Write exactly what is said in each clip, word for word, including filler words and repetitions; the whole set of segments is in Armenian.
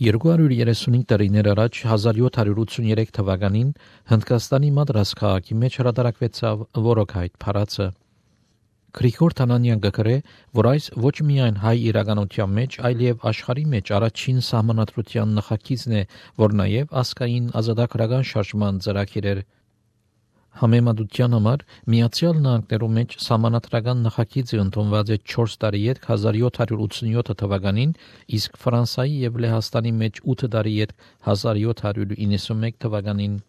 երկու հարյուր երեսունհինգ տարիներ առաջ հազար յոթ հարյուր ութսուներեք թվականին Հնդկաստանի Մադրաս քաղաքի մեջ հրատարակվեցավ Որոքայթ փառացը։ Գրիգոր Թանանյան գկրե, որ այս ոչ միայն հայ իրականության մեջ, այլև աշխարհի մեջ առաջին սահմանադրության նախագիծն է, որ նաև ազգային ազատագրական շարժման ծրագիր էր։ Համեմատության համար Միացյալ Նահանգներում մեջ սահմանադրական նախագիծը ընդունված է չորս տարի ետք հազար յոթ հարյուր ութսունյոթ թվականին, իսկ Ֆրանսիայի և Լեհաստանի մեջ ութ տարի ետք հազար յոթ հարյուր իննսունմեկ թվականին։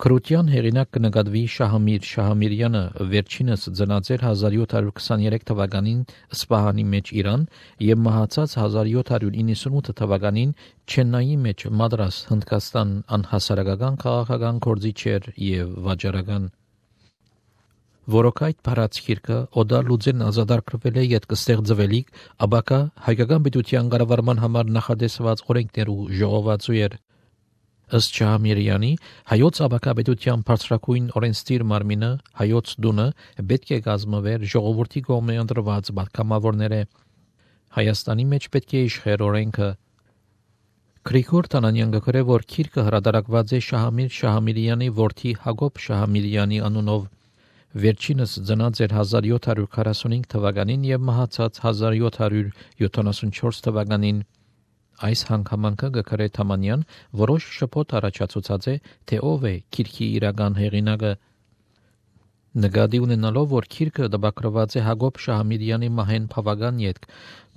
Քրության հեղինակ կնկատվի Շահամիր Շահամիրյանը վերջինս ծնած էր հազար յոթ հարյուր քսաներեք թվականին Սպահանի մեջ Իրան և մահացած հազար յոթ հարյուր իննսունութ թվականին Չեննայի մեջ Մադրաս Հնդկաստան անհասարակական քաղաքական գործիչ էր և վաճառական։ Որոքայթ փառաց գիրքը օդա լուծեն ազատագրվել է յետք ստեղծվելիք ապակա հայկական պետության կառավարման համար նախատեսված օրենքներու ժողովածու էր։ Ըստ Շահամիրյանի, հայոց ապակապետության բարձրագույն օրենսդիր մարմինը, հայոց դունը պետք է կազմվեր ժողովրդի կողմէ ընտրված պատգամավորները։ Հայաստանի մեջ պետք է իշխեր օրենքը։ Գրիգոր Թանանյան գկրե, որ գիրքը հրատարակված է Շահամիր Շահամիրյանի որդի Հակոբ Շահամիրյանի անունով։ Վերջինս ծնած էր հազար յոթ հարյուր քառասունհինգ թվականին և մահացած հազար յոթ հարյուր յոթանասունչորս թվականին։ Այս հանգամանքը գկրե Թամանյան որոշ շփոթ առաջացուցած է, թե ով է գիրքի իրական հեղինակը։ Նկատի ունենալով, որ գիրքը տպագրված է Հակոբ Շահամիրյանի մահեն բավական ետք,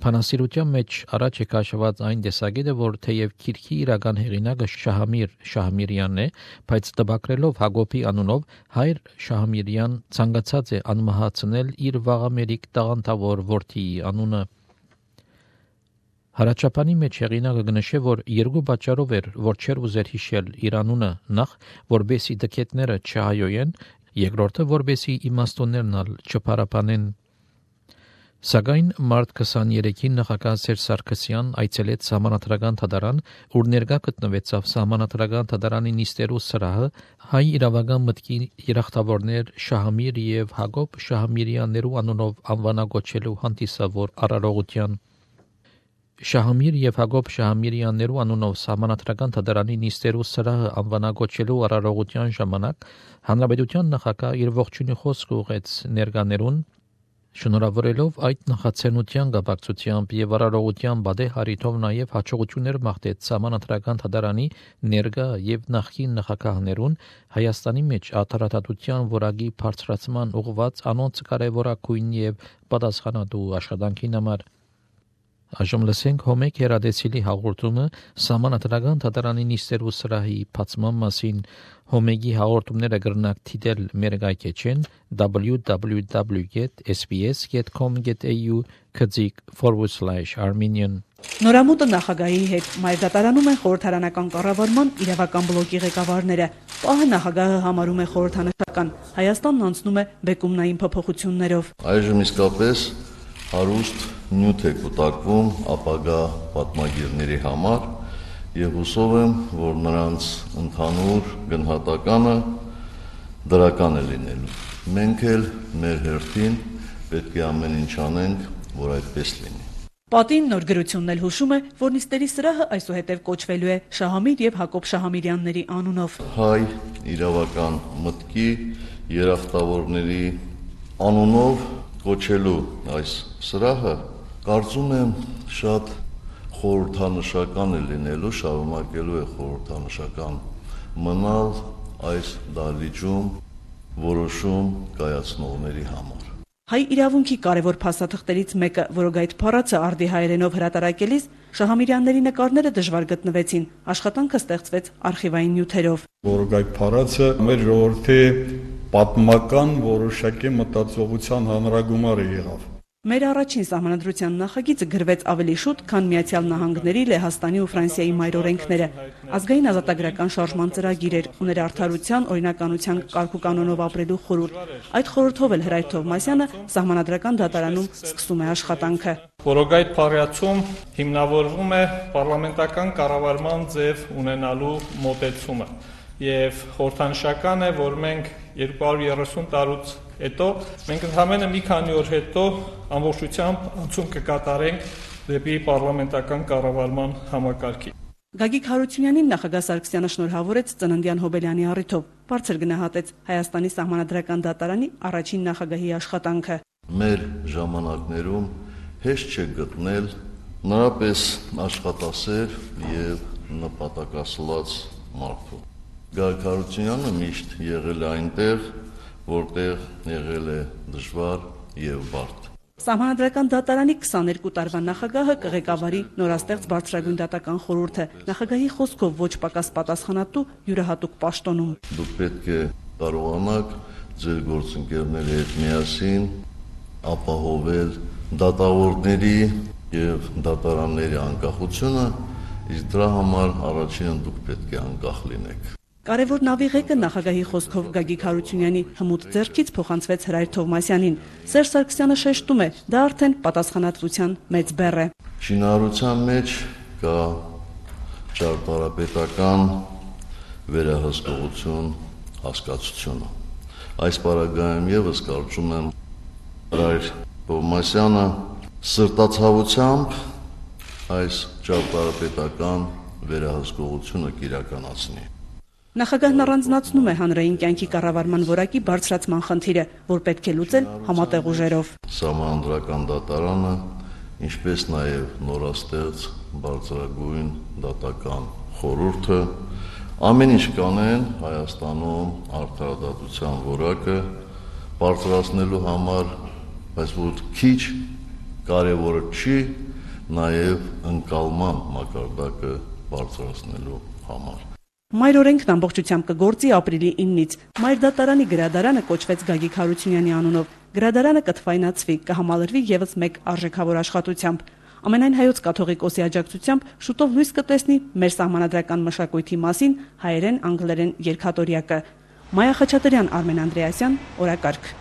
բանասիրության մեջ առաջ է քաշված այն տեսակետը, որ թեև գիրքի իրական հեղինակը Շահամիր Շահամիրյանն է, բայց տպագրելով Հակոբի անունով հայր Շահամիրյան ցանկացած է անմահացնել իր վաղամերիկ տաղանդավոր որդիի անունը։ Հարաճապանի մեջ հեղինակը կնշե, որ երկու պատճառով էր, որ չէր ուզեր հիշել իր անունը, նախ, որբեսի դքետները չհայոյեն, երկրորդը, որբեսի իմաստուններն ալ չփարապանեն։ Սակայն մարտ քսաներեքին նախագահ Սերժ Սարգսյան այցելեց Սահմանադրական դատարան, ուր ներկա գտնվեցավ Սահմանադրական դատարանի նիստերու սրահը հայ իրավական մտքի երախտավորներ Շահամիր և Հակոբ Շահամիրյաններու անունով անվանակոչելու հանդիսավոր արարողության։ Շահամիր և Հակոբ Շահամիրյաններու անունով Սահմանադրական դատարանի նիստերու սրահը անվանակոչելու արարողության ժամանակ Հանրապետության նախագահ իր ողջույնի խոսքը ուղղեց ներկաներուն, շնորհավորելով այդ նախաձեռնության կապակցությամբ և արարողության բադե հարիթով նաև հաջողություններ մաղթեց Սահմանադրական դատարանի ներկա և նախկին նախագահներուն Հայաստանի մեջ արդարադատության որակի բարձրացման ուղղված անոնց կարևորագույն և պատասխանատու աշխատանքին համար։ Այժմ լսենք Հոմեկ Հերադեսիլի հաղորդումը Սահմանադրական դատարանի նիստերու սրահի բացման մասին։ Հոմեգի հաղորդումները կրնակ դիտել մեր գայքեջեն double-u double-u double-u dot s b s dot com dot a u քծիկ forward slash armenian։ Նորամուտը նախագահի հետ մայր դատարանում են խորհրդարանական կառավարման իրավական բլոկի ղեկավարները։ Պահը նախագահը համարում է խորհրդանշական։ Հայաստանն անցնում է բեկումնային փոփոխություններով։ Այժմ իսկապես հարուստ նյութ է կուտակվում ապագա պատմագիրների համար և հուսով եմ, որ նրանց ընդհանուր գնահատականը դրական է լինելու։ Մենք էլ մեր հերթին պետք է ամեն ինչ անենք, որ այդպես լինի։ Պատին նոր գրությունն էլ հուշում է, որ նիստերի սրահը այսուհետև կոչվելու է Շահամիր և Հակոբ Շահամիրյանների անունով։ Հայ իրավական մտքի երախտավորների անունով կոչելու այս սրահը կարծում եմ շատ խորհրդանշական է լինելու, շարունակելու է խորհրդանշական մնալ այս դահլիճում որոշում կայացնողների համար։ Հայ իրավունքի կարևոր փաստաթղթերից մեկը Որոքայթ փառացը արդի հայերենով հրատարակելիս Շահամիրյանների նկարները դժվար գտնվեցին, աշխատանքը ստեղծվեց արխիվային նյութերով։ Որոքայթ փառացը մեր ժողովրդի պատմական որոշակի մտածողության հանրագումարը եղավ։ Մեր առաջին սահմանադրության նախագիծը գրվեց ավելի շուտ, քան Միացյալ Նահանգների, Լեհաստանի ու Ֆրանսիայի մայրօրենքները։ Ազգային ազատագրական շարժման ծրագիր էր, ուներ արդարության, օրինականության կարգուկանոնով ապրելու խորհուրդ։ Այդ խորհրդով էլ Հրայր Թովմասյանը Սահմանադրական դատարանում սկսում է աշխատանքը։ Որոքայթ փառացում հիմնավորվում է պարլամենտական կառավարման ձև ունենալու մոտեցումը եւ խորհրդանշական է, որ մենք երկու հարյուր երեսուն տարուց հետո մենք ընդհանրապես մի քանի օր հետո ամբողջությամբ անցում կկատարենք դեպի պարլամենտական կառավարման համակարգի։ Գագիկ Հարությունյանին նախագահ Սարգսյանը շնորհավորեց ծննդյան հոբելյանի առիթով, բարձր գնահատեց Հայաստանի սահմանադրական դատարանի առաջին նախագահի աշխատանքը։ Մեր ժամանակներում հեշտ չէ գտնել նրապես աշխատասեր եւ նպատակասլաց մարդու։ Գագիկ Հարությունյանը միշտ եղել է այնտեղ, որտեղ եղել է դժվար եւ բարդ։ Սահմանադրական դատարանի քսաներկու տարվա նախագահը կղեկավարի նորաստեղծ բարձրագույն դատական խորհուրդը, նախագահի խոսքով ոչ պակաս պատասխանատու յուրահատուկ պաշտոնում։ Դուք պետք է կարողանաք ձեր գործընկերների հետ միասին ապահովել դատավորների եւ դատարանների անկախությունը, իսկ դրա համար առաջինը դուք պետք է անկախ լինեք։ Կարևոր նավի ղեկը նախագահի խոսքով Գագիկ Հարությունյանի հմուտ ձեռքից փոխանցվեց Հրայր Թովմասյանին։ Սերժ Սարգսյանը շեշտում է, դա արդեն պատասխանատվության մեծ բեռ է։ Շինարարության մեջ կա ճարտարապետական վերահսկողություն հասկացությունը։ Այս պարագայում եւս կարծում եմ Հրայր Թովմասյանը սրտացավությամբ այս ճարտարապետական վերահսկողությունը կիրականացնի։ Նախագահն առանձնացնում է հանրային կյանքի կառավարման որակի բարձրացման խնդիրը, որ պետք է լուծել համատեղ ուժերով։ Սահմանադրական դատարանը, ինչպես նաև նորաստեղծ բարձրագույն դատական խորհուրդը ամեն ինչ կանեն Հայաստանում արդարադատության որակը բարձրացնելու համար, բայց որ քիչ կարևորը չի նաև ընկալման մակարդակը բարձրացնելու համար։ Մայր օրենքն ամբողջությամբ կգործի ապրիլի իննից։ Մայր դատարանի գրադարանը կոչվեց Գագիկ Հարությունյանի անունով։ Գրադարանը կթվայնացվի, կհամալրվի եւս մեկ արժեքավոր աշխատությամբ։ Ամենայն հայոց կաթողիկոսի աջակցությամբ շուտով լույս կտեսնի մեր սահմանադրական մշակույթի մասին հայերեն անգլերեն երգատորյակը։ Մայա Խաչատրյան, Արմեն Անդրեասյան, օրակարգ։